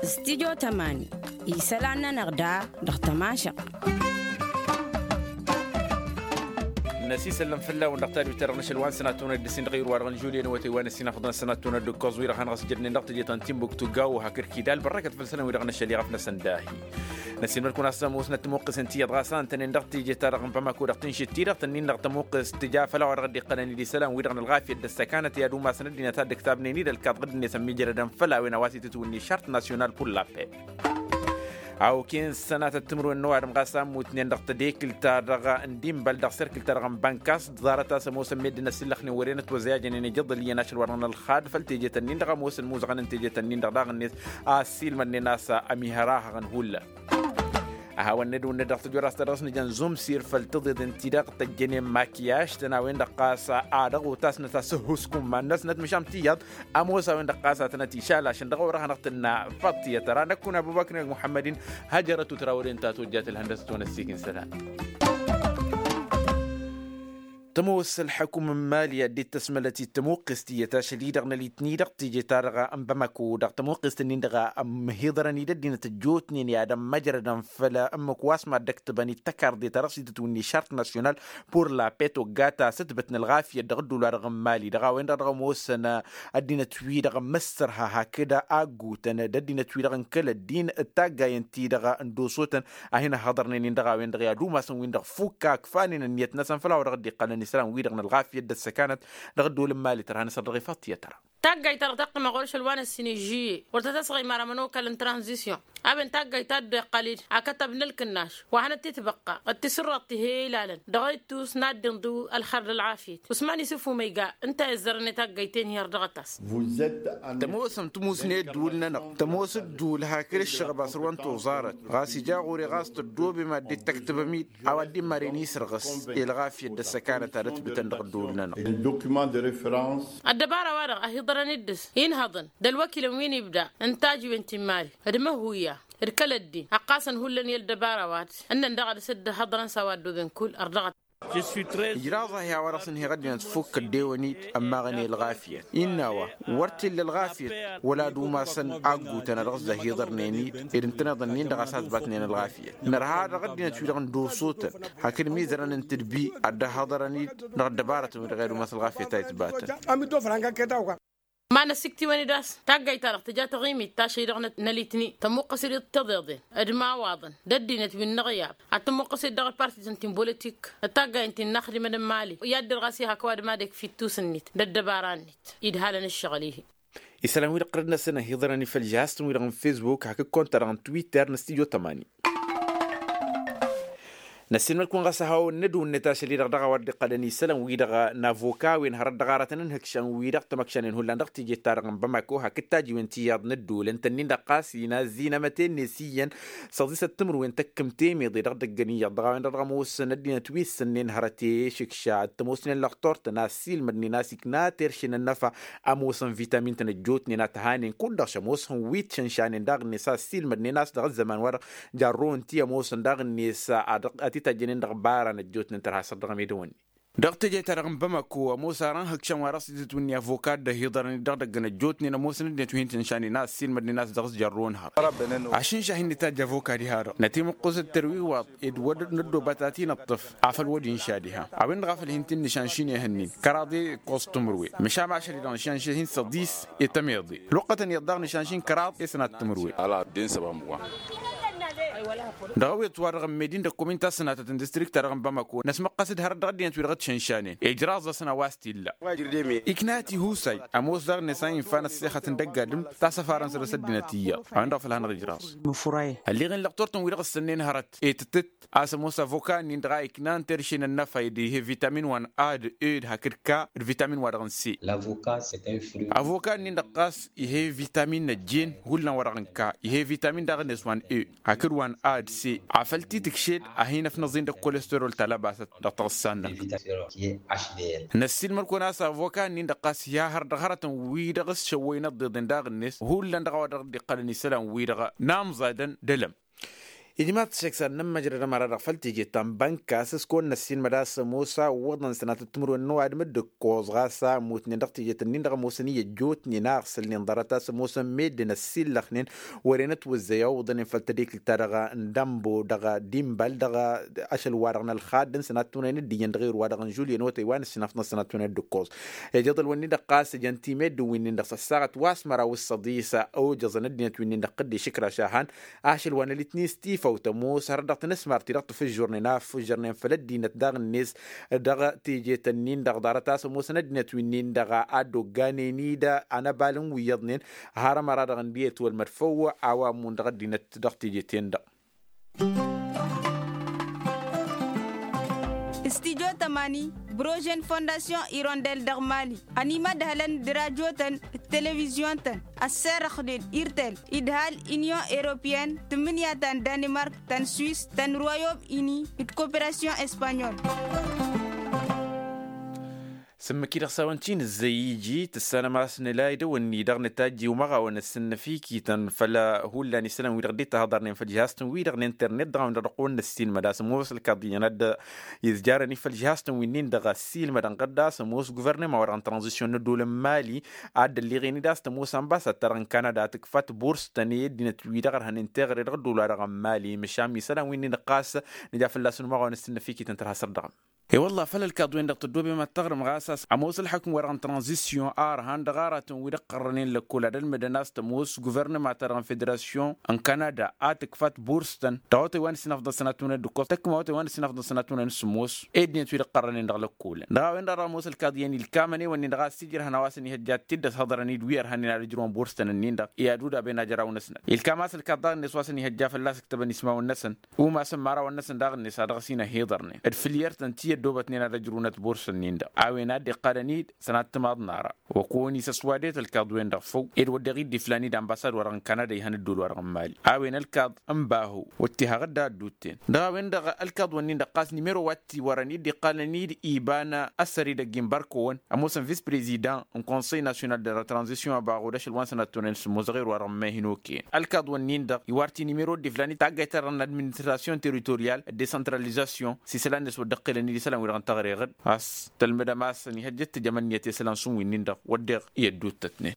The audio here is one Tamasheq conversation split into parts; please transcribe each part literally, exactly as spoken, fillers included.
Stidyo tămani isălan-nănăɣ da dăɣ-tămašăɣt. Năsisăllăm fălla-wen dăɣ-tadwit-ta-dăɣ n-ašăl wa n-sănattunăt d-ǝssin dăɣ-iru wa dăɣ-n žulye n-awătay wa n-ǝssin afḍăn sănattunăt d-ǝkkoẓ-wi-dăɣ hanăɣ-s jădnen dăɣ-teje ta n-timbuktu gawo hakd kidal bărrăkăt făll-isălan-wi-dăɣ n-ašăl iɣăf-năsăn dahi. Năsiilmăd-kăwăn a-s ămoosnăt tămuqqǝsen tiyyăḍ ɣas a ǝntănen dăɣ-teje-ta-dăɣ n-bamako dăɣ-tǝnšǝt-ti-dăɣ tănnin-dăɣ tămuqqǝst tǝja făll-a-wa dăɣ-dd-iqqălăn d-isălan-wi-dăɣ n-ălɣafyăt d-ăssăkanăt i-ad-umasăn ăddinăt a dd-ǝktabnen-dd ălkaḍ ɣǝd-net ămmiijrădăn făll-a-wen a-wa s-itǝtwǝnni šart nasyonal pur lapet. Awken sănatăt timǝrwen n-ăwadǝm ɣas a ǝmmutnen dăɣ-tedekǝlt-ta-dăɣ n-dimbăl dăɣ-serkǝl-ta-dăɣ n-bănkas ḍarăt a-s ămoosăn meddǝn ăsillăxnen wăren ătwăzăyajănen ijăḍăl iyyăn ašăl wa dăɣ-nălxad făll-teje-tăn-in-dăɣ ămoosăn muzăɣăn n-teje-tăn-in-dăɣ daɣ-net. A-s ilmădnen a-s ămihărahăɣăn hullan. Ăhawăn-ned wǝnned dăɣ-tăjorrast ta dăɣ-s nǝjăn zumsir făll-tiḍeḍen-ti-dăɣ tăjjănen makiyaš-tăn a-wen-dăɣ ɣas a dăɣ-otasnăt asǝhhuskum ma n-năsnăt măšan tiyyăḍ. Ămoos a-wen-dăɣ ɣas a tănăt-išalašăn dăɣ-orăhăn dăɣ-tǝnna făḍt tiyyăt tăra năkkun abubăkr n-muḥămmăd-in. Hăjărăt u-tărawăren ta tojjat ǝlhăndăsăt wa n-ăssiik n-isălan. Tămoos ălḥăkum n-imali ad-dd-tăsmălăt i-tămuqqest tiyyăt ašăl-i-dăɣ n-ălitni dăɣ-teje-ta-dăɣ n-bamako dăɣ-tămuqqest-nin-dăɣ ămhiḍărăn-dd ăddinăt ăjjootnen i-ad-ămmăjrădăn făll-ămmǝk wa s-mad-dd-ăktăbăn-dd tăkarḍe ta dăɣ-s itǝtwǝnni šart nasyonal pur lapet ogga ta s-ǝtbăt n-ălɣafyăt dăɣ-ădduul-wa-dăɣ n-imali dăɣ-a-wen-dăɣ dăɣ-ămoosăn ăddinăt-wi-dăɣ n-măssărha hakd a ăggutăn d-ăddinăt-wi-dăɣ n-kăl-ăddin d-taggayăn-ti-dăɣ n-dosotăn. A hin-ăhhăḍărnen-in dăɣ-a-wen-dăɣ i-ad-umasăn-win-dăɣ fukk a ǝkfanen ǝnniyăt-năsăn făll-a-wa dăɣ-dd-iqqălăn isălan-wi-dăɣ n-ălɣafyăt d-ăssăkanăt. Dăɣ-ăddool n-imali tărha n-asăr dăɣ-ifaḍ tiyyăt tăra. Taggayt ta dăɣ-taqqǝmăɣ orăšăl wa n-ăssin ižžǝyye wăr tăt-ăsɣăymar amănokal n-tranzisyon. A-wen taggayt ta dd-iqqăl-dd akătab n-ǝlkǝnnaš wa hanăt-titbăqqa d-tisǝrraḍt tihe ilalăn dăɣ-ittus n-ad-dd-inḍǝw ălxer d-ălɣafyăt usman isǝffu ma iga. Ǝnta a izzărăn i-taggayt-en hi-ărdăɣăt-as. Tămoosăm tǝmusne ădduul-nănăɣ tămoos ădduul hakd ǝššăɣăb a săr-wăn toẓarăt ɣas ija ɣur-e ɣas tăddobem ad-dd-tăktăbăm-dd. A-wa dd-immaren isărɣǝs i-ălɣafyăt d-ăssăkanăt ad-ătbǝtăn dăɣ-ădduul-nănăɣ. Ăddăbara-wa-dăɣ ăhiḍărăn-dd dăɣ-s inhăḍăn d-ălwăkilăn wi n-ibda n-tajǝwen ti n-imali d-imăhhuya d-kăl-ăddin ăqqasăn hullan i-ăddăbara-wa-dăɣ ǝnnăn daɣ ad-dăɣ-s dd-hăḍrăn s-a-wa ăddooben kull ărrăɣăt. Ijraẓ-ahi a-wa dăɣ-s ǝnheɣ ăddinăt fukk ăddewăn-dd ămmaɣăn i-ălɣafyăt innă a-wa wăr t-illa ălɣafyăt wăla ad-umasăn aggutăn a dăɣ-s dd-ăhiḍărnen-dd ed ǝntăneḍ-ǝnnin-dăɣ a-s a ǝtbatnen ălɣafyăt. Nărha dăɣ-ăddinăt-wi-dăɣ n-dosotăn hakd mizărăn n-tǝdbi ad-dd-ăhhăḍărăn-dd dăɣ-ăddăbarătăn-wi-dăɣ i-ad-umas ălɣafyăt a itbatăn. Ma n-ăsiktiwăn-dd a-s taggayt-ta-dăɣ tǝja taɣimit tašăy-dăɣ n-ălitni tămuqqăs-dd tiḍeḍen d-imawaḍăn d-ăddinăt wi n-inăɣyab ad-tămuqqăs-dd dăɣ-ălpartităn ti n-bolotik d-taggayt ti n-inaxdimăn n-imali i-ad-dăr ɣas iha kăwadǝm ad-ikf ittus-net d-ăddăbara-net idhalăn ǝššăɣǝl-ihi. Isălan-wi-dăɣ tărăd-năsăn ăhiḍărăn-i făll-žihaz-tăn-wi-dăɣ n-fesbuk hakd konta-dăɣ n-twitter n-stujo tămani. Năssiilmăd-kăwăn ɣas a hawăn-nădwǝnnet ašăl-i-dăɣ dăɣ-a-wa dd-iqqălăn isălan-wi-dăɣ n-avoka-wen hărăt dăɣ-aratăn n-ihǝkšan-wi-dăɣ tamăkšanen hullan dăɣ-teje-ta-dăɣ n-bamako hakd tajiwen tiyyăḍ n-ădduul ǝnta-nin-dăɣ ɣas inazzi n-amăte-net iyyăn săḍisăt timǝrwen tăkkǝm temeḍe dăɣ-idăggăn iyyăḍ dăɣ-a-wen-dăɣ dăɣ-ămoosăn ăddinăt wi ǝssǝnnen hărăt i-išǝkša d-tămoosnen lăxtor-tăn a ăssiilmădnen a-s ikna terše n-ănnăfa. Ămoosăn vitamin-tăn ăjjootnen a t-hanen kud-dăɣ šămoosăn wi t-šănšanen daɣ-net a ăssiilmădnen a-s dăɣ-ăzzăman-wa-dăɣ jarro ǝnti ămoosăn daɣ-net ad-t-tajjănen dăɣ-ibaran ăjjootnen tărha săr dăɣ-emedăwăn-in. Dăɣ-teje-ta-dăɣ n-bamako ămoos ara n-ihǝkšăn wa dăɣ-s itǝtwǝnni avoka dd-ăhiḍărăn-dd dăɣ-idăggăn ăjjootnen ămoosăn ăddinăt wi hin-tǝnšanen a ăssiilmădnen a-s dăɣ-s jarro n-hăr. Ašǝnša hin-nǝtajj avoka diha-dăɣ nătimǝqqus d-tărwiwaḍ ed wăr năddoba ta ti-nǝṭṭǝf afăl wăr d-inša diha a-wen-dăɣ a făl hin-t-in-nǝšanšin ihănnin kăraḍe ǝkkoẓ timǝrwe măšan ašăl-i-dăɣ nǝšanšin săḍis i-tămeḍe luqqătăn iyyăḍ daɣ nǝšanšin kăraḍ i-sănat timǝrwe. Dăɣ-awet-wa-dăɣ ămmedin d-ăkkomin ta s-sănatăt n-distrikt-ta-dăɣ n-bamako năsmăqqăs-dd hărăt dăɣ-ăddinăt wi-dăɣ t-šănšanen ijraẓ-asăn a-wa s-t-illa. Ikna tihusay ămoos daɣ-net a infa n-ăssexăt n-dăgg-adǝm ta s-ăfarăn săr-s ăddinăt iyyăḍ a-wen-dăɣ a făl hanăɣ-ijraẓ. Ălleɣen lăqtor-tăn wi-dăɣ ǝssănnen hărăt i-tǝttǝt a-s ămoos avoka-nin-dăɣ a iknan terše n-ănnăfa ed ihe vitamin wa n-a d-e d-hakd ka d-vitamin wa dăɣ-n se. Avoka-nin-dăɣ ɣas ihe vitamin n-ăjjeen hullan wa dăɣ-n ka ihe vitamin daɣ-net wa n-e hakd wa n-a d-se afăl t-tǝkšed a hin-ăfnăẓin d-ăkkolestărol ta lăbasăt dăɣ-taɣǝssa-năk. Năssiilmăd-kăwăn a-s avoka-nin-dăɣ ɣas iha hăr dăɣ-hărătăn wi-dăɣ s-šăwwăyăn ăḍḍeḍen daɣ-net hullan dăɣ-a-wa dăɣ-dd-iqqălăn isălan-wi-dăɣ n-amẓadăn d-elăm. Ijmaḍ-t šăksan n-ămmăjrăd ămăra-dăɣ făll-teje ta n-bănka a-s s-kăwăn-năssin mădas ămoos a ǝwwăḍăn sănatăt timǝrwen n-ăwadǝm dd-ǝkkoẓ ɣas a ǝmmutnen dăɣ-teje-tăn-in-dăɣ ămoosăn i-ăjjootnen a ăɣsǝlnen ḍarăt a-s ămoosăn meddǝn ăssillăxnen. Wăren ătwǝzzăy a ǝwwăḍnen făll-tadekǝlt-ta-dăɣ n-dambo dăɣ-dimbal dăɣ-ašăl-wa-dăɣ n-ălxadd n-sănat timǝrwen d-iyyăn dăɣ-irwa-dăɣ n-žulyen otăy wa n-ǝssinafḍăn sănat timǝrwen d-ǝkkoẓ. Ijăḍăl-wǝnnin-dăɣ ɣas ǝjăn timedden-winnin-dăɣ s-ăssaɣăt wa s-măraw s-săḍis a ojăẓăn ăddinăt-winnin-dăɣ qǝdde išǝkraš a han ašăl wa n-ălitnis tifăw tămoos hărăt dăɣ-tinǝsmar-ti-dăɣ tǝfǝžžurnen a ǝffǝžžărnen făll-ăddinăt daɣ-net dăɣ-teje-tăn-in-dăɣ ḍarăt a-s ămoosăn ăddinăt-winnin-dăɣ a dd-ogganen-dd anăbal n-wi iyyăḍnen. Har ămăra-dăɣ ǝndiyăt wălmăd făw a-wa ămmun dăɣ-ăddinăt dăɣ-teje-ten-dăɣ. Studyo tămani, brožen fondasyon irondel dăɣ-mali ănimădhălăn d-rajotăn d-televizyon-tăn ăsserăxnen irtel idhal, inyon europeyăn, tǝmmǝnǝya ta n-danimark, ta n-swis, ta n-royom ini d-koperasyon espanyol. Sǝmmǝk-i-dăɣ s-a-wen ti nǝzzăy iji tǝssanăm a-s nǝla idăwănni-dăɣ nǝtajj i-umăɣawăn ăssǝnnăf ikităn făll-hullan isălan-wi-dăɣ dd-ittahăḍărnen făll-jihaz-tăn-wi-dăɣ n-internet dăɣ-a-wen-dăɣ dăɣ-kăwăn-năssin mădas ămoos ălkaḍ iyyăn a dd-izjarăn i-făll-jihaz-tăn wi-nin-dăɣ ăssiilmădăn ɣǝdda a-s ămoos guvernăma-wa-dăɣ n-tranzisyon n-ăddoolăn mali a dd-ălliɣen-dd a-s tămoos ambasad-ta-dăɣ n-kanada a tǝkfat burs-tăn i-ăddinăt-wi-dăɣ ărhănen teɣăre dăɣ-ăddool-wa-dăɣ n-mali măšan isălan wi-nin-dăɣ ɣas nǝja fălla-săn umăɣawăn ăssǝnnăf ikităn tărha săr-dăɣ. E-wălla făl ălkaḍ-wen-dăɣ tăddoobem ad-taɣrǝm ɣas a-s ămoos ălḥukǝm-wa-dăɣ n-tranzisyon a ărhan dăɣ-aratăn wi d-ăqqărrănen lăkkol ad-ălmǝdăn a-s tămoos guvernăma-ta-dăɣ n-federasyon n-kanada a tǝkfat burs-tăn dăɣ-otăy wa n-ǝssinafḍăn sănatmǝnăn d-ǝkkoẓ tăkkǝma otăy wa n-ǝssinafḍăn sănatmǝnăn s-ămoos. Eddinăt wi d-ăqqărrănen dăɣ-lăkkolăn dăɣ-a-wen-dăɣ dăɣ-ămoos ălkaḍ iyyăn ilkam ănewănnin-dăɣ a-s ijrăhăn a-wa s-ănihăjja d-tiddăt haḍărăn-dd wi ărhanen ad-ǝjrǝwăn burs-tăn-ǝnnin-dăɣ i-ad-udaben ajăraw-năsnăt ilkam a-s ălkaḍ daɣ-net wa s-ănihăjja fălla-s ǝktăbăn ismawăn-năsăn. Umasăn imărawăn-năsăn daɣ-net a dăɣ-s-in-ăhiḍărnen d-fǝl i-ărtăn ti ăddoobătnen ad-ăjrǝwnăt burs-ǝnnin-dăɣ a-wen a dd-iqqalăn-dd sănat timaḍ n-ara. Wăkăwăn-isăswadet ălkaḍ-wen-dăɣ făw ed wădden dd-iflan-dd ambasad-wa-dăɣ n-kanada ihăn ăddool-wa-dăɣ n-mali a-wen ălkaḍ n-bahu wăr t-iha ɣǝdda ăddutten. Dăɣ-a-wen-dăɣ ălkaḍ-wǝnnin-dăɣ ɣas nimero wa t-iwărăn i-dd-iqqalăn-dd iba n-ăssăr-i dăgg-inbarkăwăn ămoosăn vis-prezidant n-konsăy nasyonal de la tranzisyon abaɣud ašăl wa n-sănat tonen s-ămoos dăɣ-erwa-dăɣ n-mehinoken ălkaḍ-wǝnnin-dăɣ iwar-t i-nimero d-iflan-dd taggayt-ta-dăɣ n-administrasyon teritoryal d-desantralizasyon s-isălan-net wăr dd-ăqqelăn-dd isălan-wi-dăɣ n-teɣreɣăd a-s tălmădăm a-s ănihăjjăt tijămăn-net i-isălan s-un-winnin-dăɣ wădden i-ădduuttătnen.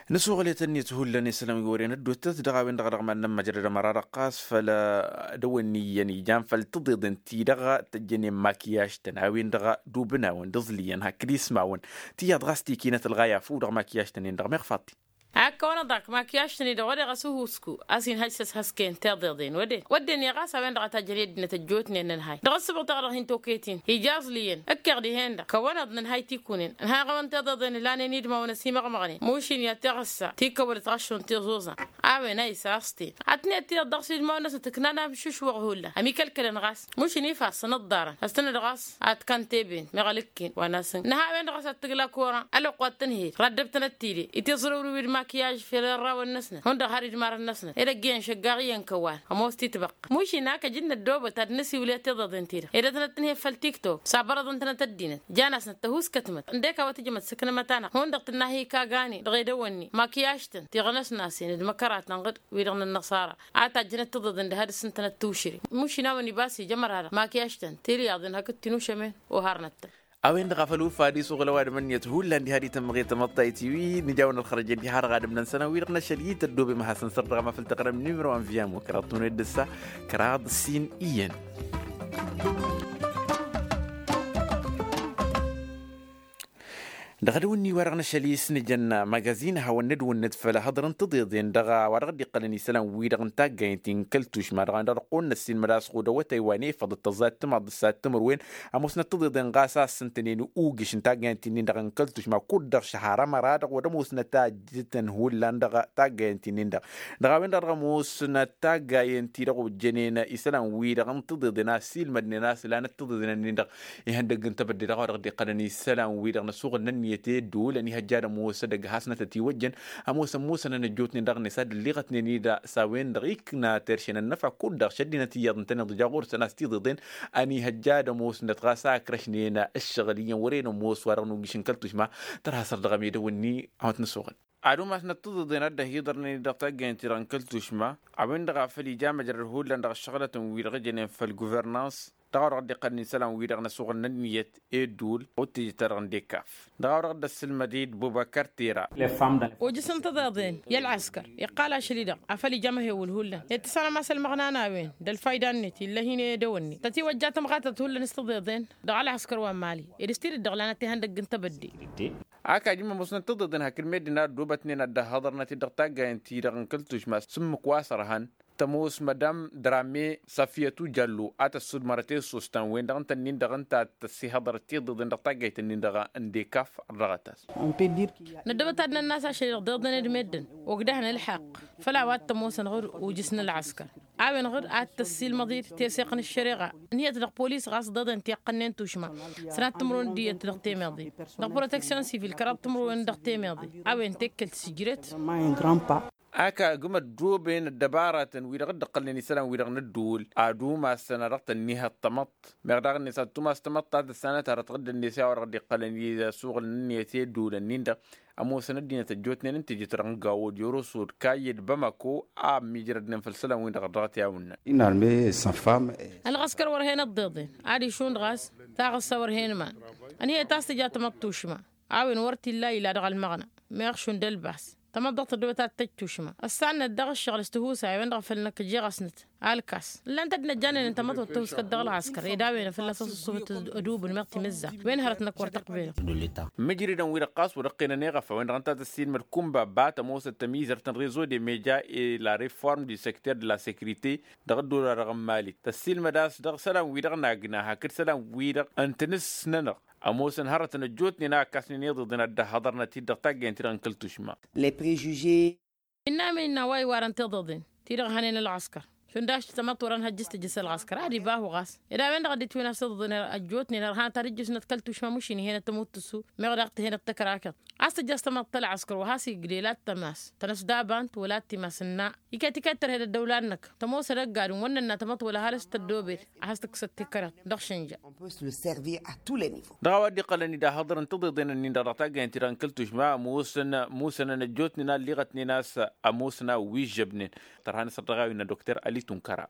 Nǝsuɣǝl i-tăn-net hullan isălan wi wăren ădduuttăt dăɣ-a-wen-dăɣ dăɣ-mad-nămmăjrăd ămăra-dăɣ ɣas făll-dăwănni iyyăn ijan făll-tiḍeḍen-ti-dăɣ tăjjănen makyaj-tăn a-wen-dăɣ dubǝn-awăn d-iẓlǝyăn hakd ismawăn. Tiyyăḍ ɣas tikinăt ălɣaya făw dăɣ-makyaj-tăn-in-dăɣ meɣ faḍt-i. Akkăwăn-ăḍak makyaj-tăn-i-dăɣ wădden ɣas uhusku a-s inhăj s-ăshăsken tiḍeḍen wădden wădden i-ɣas a-wen-dăɣ a tajjăn i-ăddinăt ăjjootnen nǝnhay dăɣ-ǝssǝbɣǝt-ta-dăɣ hin-tokăyăt-in ija aẓlǝyăn ǝkkeɣ dihen-dăɣ kăwăn-ăḍ nǝnhay tikunen ǝnhayăɣ a-wen tiḍeḍen ǝlanen idmawăn ăsimăɣmăɣnen mušin i-ad-tiɣǝssa tikăwălăt ɣaššun tiẓuẓan a-wen a isa a-s ten ad-tǝnhăyăt tiyyăḍ dăɣ-s idmawăn-năsnăt ǝknan amšušwăɣ hullan ămikălkălăn ɣas mušin ifassăn ǝḍḍarăn ăstănăd ɣas ad-t-kăn teben meɣ ălǝkken wa n-asǝnk nǝha a-wen-dăɣ a-s ad-tǝgla koran ălwăqq wa t-tǝnhed raddăb-tănăt tide itẓrǝwrǝw d-makyaj fel ărrawăn-năsnăt hundăɣ har idmarăn-năsnăt ed ăgg-iyyăn šăggaɣ iyyăn kăwal ămoos titbăqqa mušin a kăj-dd-năddoobăt ad-nǝsiwǝl i-tiḍeḍen-ti-dăɣ ed ad-tănăt-tǝnhed făll-tiktok s-abărăḍăn-tănăt ăddinăt jan-asnăt tăhuskătmăt ǝndek a-wa tǝjǝmăt s-ǝknămăt-anăɣ hundăɣ tǝnna hi-kagane dăɣ-edăwănni makyaj-tăn tiɣnăsnasen d-măkăratăn ɣǝd wi-dăɣ n-ănnăṣara a tajjănăt tiḍeḍen d-ehăd s-ǝntănăt tiwšǝre mušin a-wen ibas ija ămăra-dăɣ makyaj-tăn tilyaḍen hakd tinušămen oharnăt-tăn. A-wen-dăɣ a făl ufad isuɣǝl ăwadǝm-net hullan diha d-itămmăɣe tamăḍtayt-i-wi nǝja-wăn ălxărăjăn diha-dăɣ ad-ǝmnăn isălan-wi-dăɣ n-ašăl-i tăddoobem ad-hasăn-săr dăɣ-amafăl tăɣrăm nimro anviyamo kăraḍ tuned d-ǝssa kăraḍ s-in iyyăn. Dăɣ-edăwănni-wa-dăɣ n-ašăl-i s-nǝjăn magazin hawăn-nǝdwǝnnǝt făll-ehăḍrăn tiḍeḍen dăɣ-a-wa dăɣ-dd-iqqălăn isălan-wi-dăɣ n-taggayen ti n-kăl-tušma dăɣ-a-wen-dăɣ dăɣ-kăwăn-năssin mădas ɣud awătay wa n-efăḍ d-tăẓẓa d-timaḍ d-ǝssa d-timǝrwen ămoosnăt tiḍeḍen ɣas a ǝssǝntănen ugǝš n-taggayen ti-nin-dăɣ n-kăl-tušma kud-dăɣ šăhar ămăra-dăɣ wăr ămoosnăt a ǝjǝtăn hullan dăɣ-taggayen ti-nin-dăɣ. Dăɣ-a-wen-dăɣ dăɣ-ămoosnăt taggayen-ti-dăɣ ojjănen isălan-wi-dăɣ n-tiḍeḍen a ăssiilmădnen a-s ǝlanăt tiḍeḍen-nin-dăɣ ihăndăgg n-tebădde dăɣ-a-wa dăɣ-dd-iqqălăn isălan-wi-dăɣ n-asuɣǝl n-ănniyăt i-ădduul ănihăjja ad-ămoos ădăgg hasnătăt-iwăjjăn. Ămoosăn musănăn ăjjootnen daɣ-net a dd-ălliɣătnen-dd s-a-wen-dăɣ ikna terše n-ănnăfa kud-dăɣ šăddinăt iyyăḍ ǝntăneḍ ija ɣur-săn a-s tiḍeḍen ănihăjja ad-ămoosnăt ɣas a ǝkrăšnen ǝššăɣǝl iyyăn wăren ămoos wa dăɣ-nugǝš n-kăl-tušma. Tărha săr dăɣ-amedăw-ǝnni a-wa t-nǝsuɣǝl. ad-umasnăt tiḍeḍen ad-dd-ăhiḍărnen-dd dăɣ-taggayăn-ti-dăɣ n-kăl-tušma a-wen-dăɣ a făl ija măjrăd hullan dăɣ-ăššăɣlătăn-wi-dăɣ ǝjănen făll-guvernans dăɣ-a-wa dăɣ-dd-iqqălăn isălan-wi-dăɣ n-asuɣǝl n-ǝnniyăt i-ădduul. Otăjăt-ta-dăɣ n-dekaf dăɣ-a-wa dăɣ-dd-ăssǝlmăd-dd bubăkăr tera. Ojǝs n-tiḍeḍen i-ălɣăskăr iqqal ašăl-i-dăɣ afăl ija amăhewǝl hullan i-ad-tǝssanăm a-s ălmăɣna n-a-wen d-ălfayda-net ill'-e hin-e edăwănne tătiwăjja tămɣatăt hullan s-tiḍeḍen. Dăɣ-ălɣăskăr wa n-mali ed s-tidǝt-dăɣ lanăt ihăndăgg n-tebădde. Ak ajǝm ămoosnăt tiḍeḍen hakd meddǝn a ăddoobătnen ad-dd-ăhhăḍărnăt-dd dăɣ-taggayăn-ti-dăɣ n-kăl-tušma s-ǝmmǝk wa s-ărhan tămoos madam drame safiyăt ujallu a tăssudmărăt i-ăssoos ta n-wen-dăɣ ǝnta-nin-dăɣ ǝnta a tăssihăḍărăt tiḍeḍen dăɣ-taggayt-nin-dăɣ n-dekaf. Ărdăɣăt-as. Năddăbăt ad-nănn'-as ašăl-i-dăɣ tiḍeḍen d-meddǝn ogdăhăn ălḥaqq făll-a-wa t-ămoosăn ɣǝr-ujǝs n-ălɣăskăr a-wen ɣǝr ad-tăssiilmăḍ-dd teseɣt n-ăššăreɣa ǝnhǝyăt dăɣ-polis ɣas ḍeḍen ti ǝqqănnen tušma. Sănat timǝrwen d-iyyăt dăɣ-temeḍe dăɣ-proteksyon sivil kăraḍ timǝrwen dăɣ-temeḍe a-wen tekkelt sǝjret. Ak agǝm ăddooben ăddăbaratăn-wi-dăɣ dd-ǝqqălnen isălan-wi-dăɣ n-ădduul ad-umasăn a dăɣ-tănnihăḍ tamăḍt meɣ daɣ-net ad-tumas tamăḍt ta tǝssanăt hărăt ɣǝddǝnet i-a-wa dăɣ-dd-iqqălăn i-asuɣǝl n-ǝnniyăt i-ădduulăn-in-dăɣ. Ămoosăn ăddinăt ăjjootnen ǝntǝjǝt dăɣ-nǝggaw d-yorosod kayyăd bămăko a ămmiijrădnen făll-isălan-win-dăɣ dăɣ-t i-awǝnnăn. Ălɣăskăr wăr hen ăḍḍeḍen ad-išund ɣas taɣǝssa wăr hen iman. Ănhăyăt a-s tǝja tamăḍt tušma a-wen wăr t-illa ila dăɣ-ălmăɣna meɣ šund ălbas. Tamăḍt dăɣ-tăddoobăt ad-tăj tušma ăssannăt dăɣ-ǝššăɣǝl s-tihusay a-wen-dăɣ a făl năkk jeɣăsnăt alkas ǝllan-t ăddinăt jannen n-tamăḍt wăr tăhuskăt dăɣ-ălɣăskăr ed a-wen fălla-s ăṣṣuṣṣufăt. Ădubǝl meɣ timǝzza wen hărăt-năk wăr tăqbelăt. Mǝjridăn-wi-dăɣ ɣas wăr-ǝqqenăn eɣăf a-wen-dăɣ ǝnta tăssiilmăd kumba ba tămoosăt tămizărt n-rezo de meja e la reform du secter de la securite dăɣ-ăddola-dăɣ n-mali tăssiilmăd a-s dăɣ-isălan-wi-dăɣ n-agna hakd isălan-wi-dăɣ n-tinǝs-nănăɣ. Ămoosăn hărătăn ăjjootnen a ǝkkasnen iḍeḍen ad-dd-ăhhăḍărnăt-dd dăɣ-taggayăn-ti-dăɣ n-kăl-tušma. Innă a-wen innă a-wa iwarăn tiḍeḍen ti-dăɣ hănen ălɣăskăr šund a-s tamăḍt wăr-ănhăjjăš tǝjjǝs ălɣăskăr ad-ibahu ɣas ed a-wen-dăɣ a dd-itwǝn a-s tiḍeḍen ăjjootnen ărhanăt ad-ǝjjǝsnăt kăl-tušma mušin ih'-enăt tămut tǝssu meɣ daɣ tǝhenăt tăkrakăḍ. A-s tǝjjăš tamăḍt ălɣăskăr wa has-igdel ad-tămas tănăsdabant wăla ad-timas ǝnna iket iket tărhed ăddăwla-năk tămoos ad-ăgg-adǝm wăr nǝnna tamăḍt wăla har s-tăddoobed a has-tǝkkǝsăt tikăriḍt. Dăɣ-išǝnja. Dăɣ-a-wa dd-iqqălăn-dd ahăḍăr n-tiḍeḍen-ǝnnin-dăɣ dăɣ-taggayăn-ti-dăɣ n-kăl-tušma ămoosăn musănăn ăjjootnen a ălliɣătnen a-s ămoosăn a wi ǝžžăbnen. Tărha n-asăr dăɣ-a-wi n-dăkter ali tunkăra.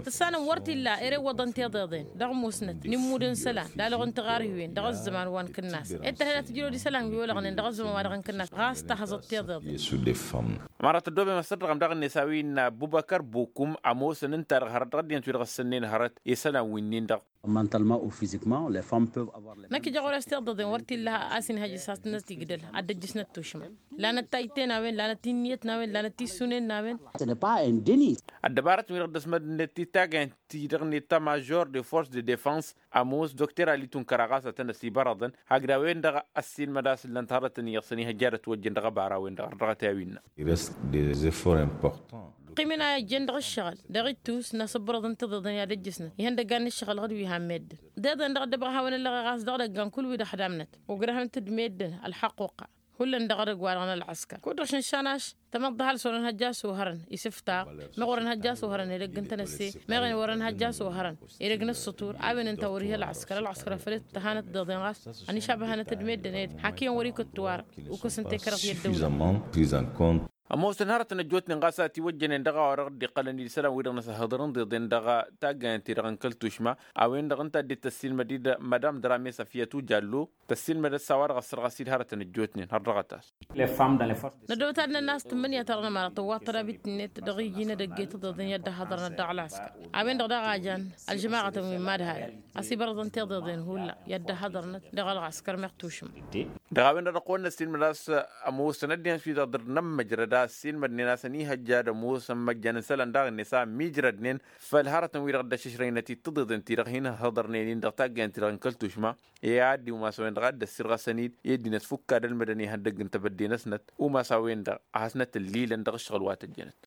Tǝssanăm wăr t-illa ere iwwăḍăn tiḍeḍen dăɣ-musnăt n-immud n-isălan d-alăɣ n-tiɣarhiwen dăɣ-ăzzăman wa n-kǝnnas ed tărhed ad-tǝjrăwăd isălan wi olăɣnen dăɣ-ăzzăman wa dăɣ-n kǝnnas ɣas tahăẓăt tiḍeḍen. Mărat ăddoobem ăssărdăɣăm daɣ-net a-wi n-abubăkăr bukum ămoosăn ǝnta-dăɣ hărăt dăɣ-ăddinăt wi dăɣ-ăssănnen hărăt isălan wi-nin-dăɣ. Mentalement ou physiquement les femmes peuvent avoir les. Năkk ija ɣur-e-s tiḍeḍen wăr t-illa a-s inhăj s-has-tǝnnăt igdăl ad-dd-ăjjǝsnăt tušma. Lanăt tajjten a-wen lanăt tinniyăt n-a-wen lanăt tissunen n-a-wen. Ce n'est pas un déni. Ăddăbarăt-wi-dăɣ dd-ăsmădnet tittagayăn-ti-dăɣ n-eta major de force de defense ămoos dokter ali tunkăra ɣas ad-tăn-ăsibărăḍăn hakd a-wen-dăɣ ăssiilmăd a-s ǝllăn-t hărătăn iyyăḍ săn ihăjja ad-ătwăjjăn dăɣ-abara-wen-dăɣ ărdăɣăt i-a-wi innă. Ires des efforts importants. Ăqqim-in a ijjen dăɣ-ǝššăɣǝl dăɣ-ittus n-asǝbbărăḍ n-tiḍeḍen i-ad-ăjjǝsnăt ihăndăggan n-ǝššăɣǝl dăɣ-dd-wi han meddǝn. Deḍen dăɣ-dd-ăbɣa hawăn-ăllăɣeɣ a-s dăɣ-idăggan kull-wi-dăɣ ăhdamnăt ugdăhnăt-dd meddǝn ălxăqquqa. Hullan dăɣ-edăgg wa dăɣ-nălɣăskăr kud-dăɣ šǝnšan a-s tamăḍt dăɣ-hal s-wăr-ănhăjja a-s ohărăn isǝftaɣ. Meɣ wăr-ănhăjja a-s ohărăn edăgg n-tănăsse meɣ wăr-ănhăjja a-s ohărăn edăgg n-ǝssǝtur a-wen ǝnta wăr-ihi ălɣăskăr ălɣăskăr făl i-tǝttăhanăt deḍen ɣas ănišabăhănăt-dd meddǝn ed hak iyyăn wăr-ikǝttu arăt. Ukǝs n-tekărăḍt i-ăddăwlăt. Ămoosăn hărătăn ăjjootnen ɣas a tiwăjjănen dăɣ-a-wa dăɣ-dd-iqqălăn d-isălan wi-dăɣ n-asăhhăḍăr n-iḍeḍen dăɣ-taggayăn-ti-dăɣ n-kăl-tušma. A-wen-dăɣ ǝnta a dd-tăssiilmăd-dd madam dăr-amesăf i-ătujallu tăssiilmădăt s-a-wa dăɣ-ăssărɣăs-dd hărătăn ăjjootnen hărdăɣăt-as. Năddoobăt ad-nănn'-as tǝmmǝnǝya-ta-dăɣ n-ămăra tǝwwaḍ tădabit-net dăɣ-iji n-edăgg i-tiḍeḍen i-ad-dd-ăhhăḍărnăt dăɣ-ălɣăskăr. A-wen-dăɣ daɣ a jan ălžămaɣătăn wi n-imadhalăn ăsibărăḍăn tiḍeḍen hullan i-ad-dd-ăhhăḍărnăt dăɣ-ălɣăskăr meɣ tušǝm. Dăɣ-a-wen-dăɣ dăɣ-kăwăn-năssiilmăd a-s ămoosăn ăddinăt wi-dăɣ dăr-nămmăjrăd a ăssiilmădnen a-s ănihăjja ad-ămoosăn măjjan n-isălan daɣ-net a ămmiijrădnen făll-hărătăn-wi-dăɣ dd-ăššǝšrăynăt-dd tiḍeḍen-ti-dăɣ hin-ǝhhăḍărnen-in dăɣ-taggayăn-ti-dăɣ n-kăl-tušma. I-ad-dd-umas a-wen-dăɣ a dd-ăssirɣăsăn-dd i-ăddinăt fukk ad-ălmădăn ihăndăgg n-tebădde-năsnăt umas a-wen-dăɣ a hasnăt-ǝllilăn dăɣ-ǝššăɣǝl wa tăjjănăt.